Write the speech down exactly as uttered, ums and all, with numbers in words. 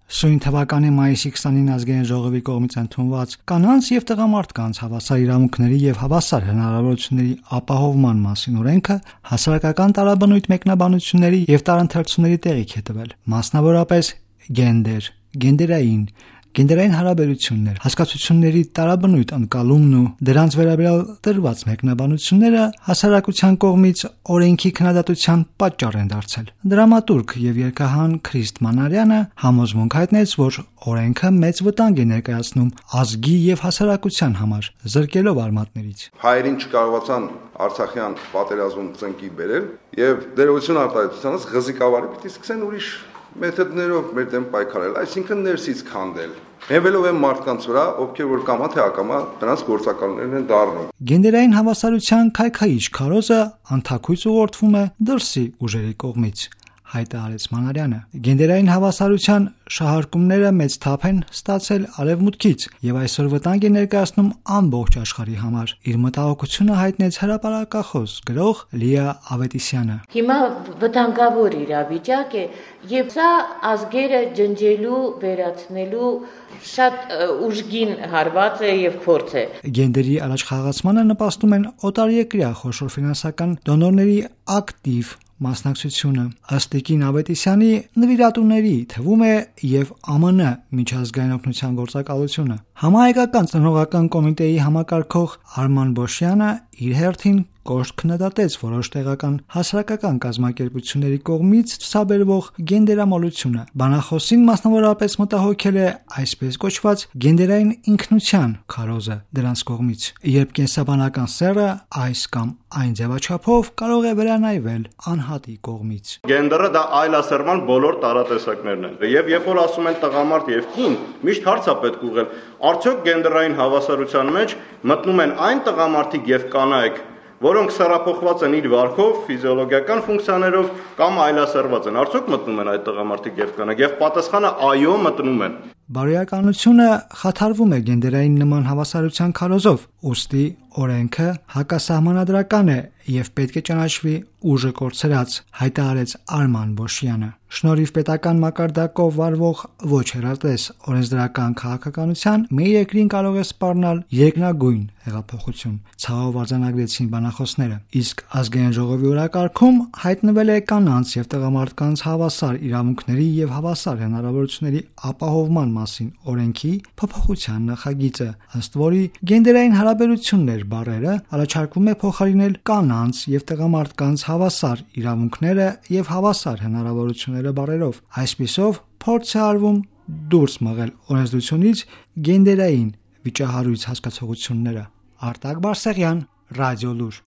Սույն թվականի մայիսի քսանինը ազգային ժողովի կողմից ընդունված կանանց եւ տղամարդկանց հավասար իրավունքների եւ հավասար հնարավորությունների ապահովման մասին օրենքը հասարակական տարաբնույթ մեկնաբանությունների եւ տարընթերցումների տեղիք է տվել, մասնավորապես գենդեր, գենդերային, գենդերային հարաբերություններ, հասկացությունների տարաբնույթ ընկալումն ու դրանց վերաբերյալ տրված մեկնաբանությունները հասարակության կողմից օրենքի քննադատության պատճառ են դարձել։ Դրամատուրգ եւ երգահան Քրիստ Մանարյանը համոզմունք հայտնեց, որ օրենքը մեծ վտանգ է ներկայացնում ազգի եւ հասարակության համար, զրկելով արմատներից։ Հայերին չկարողացան Արցախյան պատերազմում ծնկի բերել եւ դերողություն արտահայտությանից ղզիկավարի պիտի սկսեն ուրիշ մեթոդներով մեր դեմ պայքարել, այսինքն ներսից քանդել։ Հենվելով են մարդկանց վրա, ովքեր որ կամա թե ակամա նրանց գործակալներն են դառնում։ Գենդերային հավասարության քայքայիչ քարոզը անթաքույց ուղղորդվում է դրսի ուժերի կողմից, հայտարարեց Մանարյանը։ Գենդերային հավասարության շահարկումները մեծ թափ են ստացել արևմուտքից եւ այսօր վտանգ է ներկայացնում ամբողջ աշխարհի համար։ Իր մտահոգությունը հայտնեց հրապարակախոս գրող Լիա Ավետիսյանը։ Հիմա վտանգավոր իրավիճակ է եւ սա ազգերը ջնջելու, վերացնելու շատ ուժգին հարված է եւ փորձ է։ Գենդերի առաջխաղացմանը նպաստում են օտարերկրյա խոշոր ֆինանսական դոնորների ակտիվ մասնակցությունը։ Ըստ Տիկին Ավետիսյանի նվիրատուների թվում է եւ Է Մ Ն միջազգային օգնության գործակալությունը։ Համահայկական ծնողական կոմիտեի համակարգող Արման Բոշյանը իր հերթին կոշտ քննադատեց որոշ տեղական հասարակական կազմակերպությունների կողմից ցուցաբերվող գենդերամոլությունը։ Բանախոսին մասնավորապես մտահոգել է այսպես կոչված գենդերային ինքնության քարոզը դրանց կողմից, երբ կենսաբանական սեռը այս կամ այն ձևաչափով կարող է վերանայվել անհատի կողմից։ Գենդերը դա այլասերման բոլոր տարատեսակներն են։ Եվ երբ որ ասում են տղամարդ եւ կին, միշտ հարց է պետք ուղղել, արդյոք գենդերային հավասարության մեջ մտնում են այն տղամարդիկ եւ կանայք, որոնք սեռափոխված են իր վարքով, ֆիզիոլոգիական ֆունկցիաներով կամ այլասերված են, արդյոք մտնում են այդ տղամարդիկ եւ կանայք, եւ պատասխանը այո, մտնում են։ Բարոյականությունը խաթարվում է գենդերային նման հավասարության քարոզով, ուստի օրենքը հակասահմանադրական է եւ պետք է ճանաչվի ուժը կորցրած, հայտարարեց Արման Բոշյանը։ Շնորհիվ պետական մակարդակով վարվող ոչ հեռատես օրենսդրական քաղաքականության մեր երկրին կարող է սպառնալ երկնագույն հեղափոխություն, ցավով արձանագրեցին բանախոսները։ Իսկ ազգային ժողովի օրակարգում հայտնվել է կանանց եւ տղամարդկանց հավասար իրավունքների եւ հավասար հնարավորությունների ապահովման մասին օրենքի փոփոխության նախագիծը, ըստ որի գենդերային հարաբերություններ բառերը առաջարկվում է փոխարինել կանանց եւ տղամարդկանց հավասար իրավունքները եւ հավասար հնարավորությունները բառերով։ Այսպիսով փորձ է արվում դուրս մղել օրենսդրությունից գենդերային վիճահարույց հասկացողությունները։ Արտակ Բարսեղյան, Ռադիոլուր։